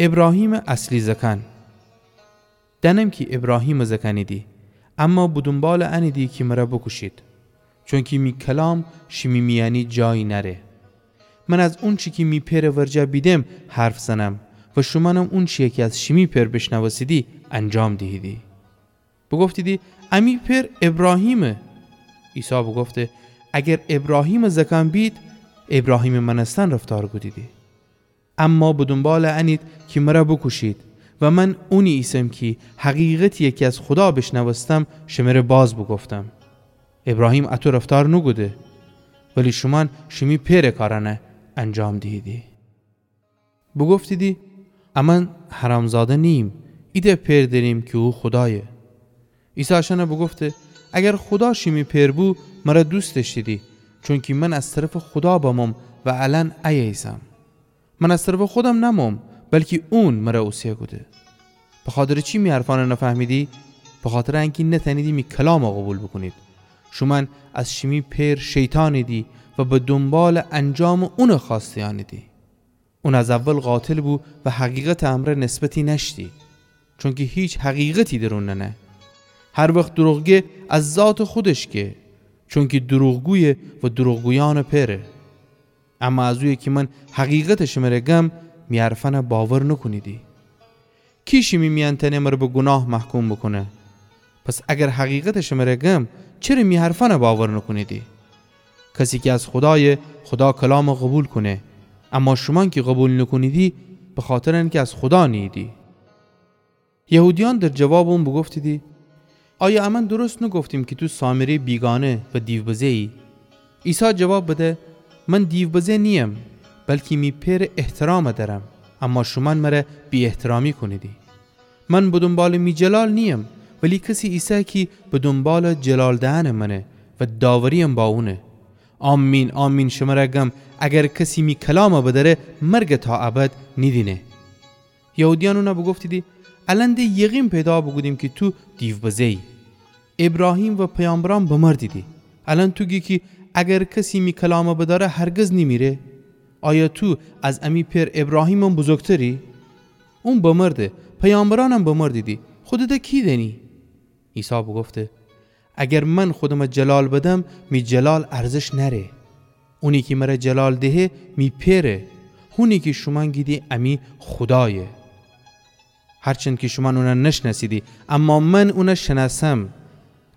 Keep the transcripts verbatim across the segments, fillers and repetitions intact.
ابراهیمٚ اصلی زأکأن. دأنم کی ابراهیمٚ زأکأنیدی، اما به دونبالٚ انیدی کی مرَ بوکوشید، چونکی می کلام شیمی میأنی جایی نأره. من از اونچی کی می پئرٚ ورجه بیدم حرف زنم و شومأنم اونچیی کی از شیمی پئر بیشنوستیدی انجام دیهیدی. بوگفتیدی: امی پئر ابراهیمه. عیسی بوگفته: اگر ابراهیمٚ زأکأن بید، ابراهیمٚ مأنستن رفتار کودیدی. اما به دونبالٚ انید کی مرَ بوکوشید و من اونی ایسم کی حقیقتیی کی از خودا بیشنوستم شمره باز بوگفتم. ابراهیم اطو رفتار نوکوده، ولی شومأن شیمی پئرٚ کارأنَ انجام دیهیدی. بوگفتیدی: امأن حرامزاده نیییم، ایتأ پئر دأریم کی او خودایه. عیسی اشأنَ بوگفته: اگر خودا شیمی پئر بو، مرَ دوست دأشتیدی، چونکی من از طرفٚ خودا بموم و الأن ایه ایسم. من از طرفٚ خودم نموم، بلکی اون مرَ اوسه کوده. بخاطرٚ چی می حرفأنَ نفهمیدی؟ بخاطرٚ انکی نتأنیدی می کلامَ قوبیل بوکونید. شومأن از شیمی پئر شیطانیدی و به دونبالٚ انجامٚ اونٚ خوأسته‌یأنیدی. اون از اول قاتل بو و حقیقتٚ امرأ نسبتی نأشتی، چونکی هیچ حقیقتی در اون ننه. هر وخت دروغ گه، از ذاتٚ خودش گه، چونکی دروغگویه و دروغگویأنٚ پئره. اما از اویه کی من حقیقتَ شمره گم، می حرفأنَ باور نوکونیدی. کی شیمی میأن تأنه مرَ به گوناه محکوم بوکونه؟ پس اگر حقیقتَ شمره گم، چره می حرفأنَ باور نوکونیدی؟ کسی کی از خودایه، خودا کلامَ قوبیل کونه، اما شومأن کی قوبیل نوکونیدی، بخاطرٚ انکی از خودا نیییدی. یهودیأن در جوابٚ اون بوگفتیدی: آیا امأن درست نوگفتیم کی تو سامریٚ بیگانه و دیوبزه‌یی؟ عیسی جواب بده: من دیوبزه نییم، بلکی می پئرٚ احترامَ دأرم، اما شومأن مرَ بی‌احترامی کونیدی. من به دونبالٚ می جلال نییم، ولی کسی ایسه کی به دونبالٚ جلال دئنٚ منه و داورییم با اونه. آمین، آمین، شمره گم، اگر کسی می کلامَ بدأره، مرگَ تا ابد نیدینه. یهودیأن اونَ بوگفتیدی: الأن د یقین پیدا بوکودیم کی تو دیوبزه‌یی. ابراهیم و پیامبرأن بمردیدی. الأن تو گی کی اگر کسی می کلامَ بدأره هرگز نیمیره؟ آیا تو از امی پئر ابراهیمم بزرگتری؟ اون بمرده، پیامبرأنم بمردیدی. خودتَ کی دأنی؟ عیسی بوگفته: اگر من خودمَ جلال بدم، می جلال ارزش نأره. اونی کی مرَ جلال دهه، می پئره. هونی کی شومأن گیدی امی خودایه. هرچند کی شومأن اونَ نشنأسیدی، اما من اونَ شنأسم.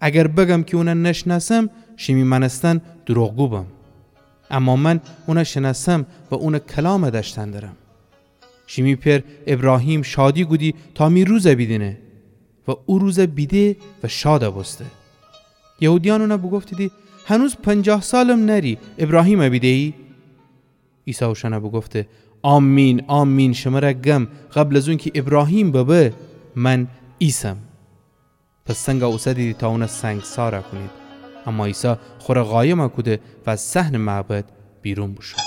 اگر بگم کی اونَ نشنأسم، شیمی مأنستن دروغگو بم. اما من اونَ شنأسم و اونٚ کلامَ دأشتن درم. شیمی پئر ابراهیم شادی کودی تا می روزَ بیدینه و او روزَ بیده و شادَ بوسته. یهودیأن اونَ بوگفتیدی: هنوز پنجاه سالم نأری، ابراهیمَ بیده‌یی؟ عیسی اوشأنَ بوگفته: آمین، آمین، شمرَ گم، قبل از اونکی ابراهیم ببه، من ایسم. پس سنگَ اوسدیدی تا اونَ سنگسارَ کونید. اما عیسی خورَ قایمَ کوده و از صحنٚ معبد بیرون بوشو.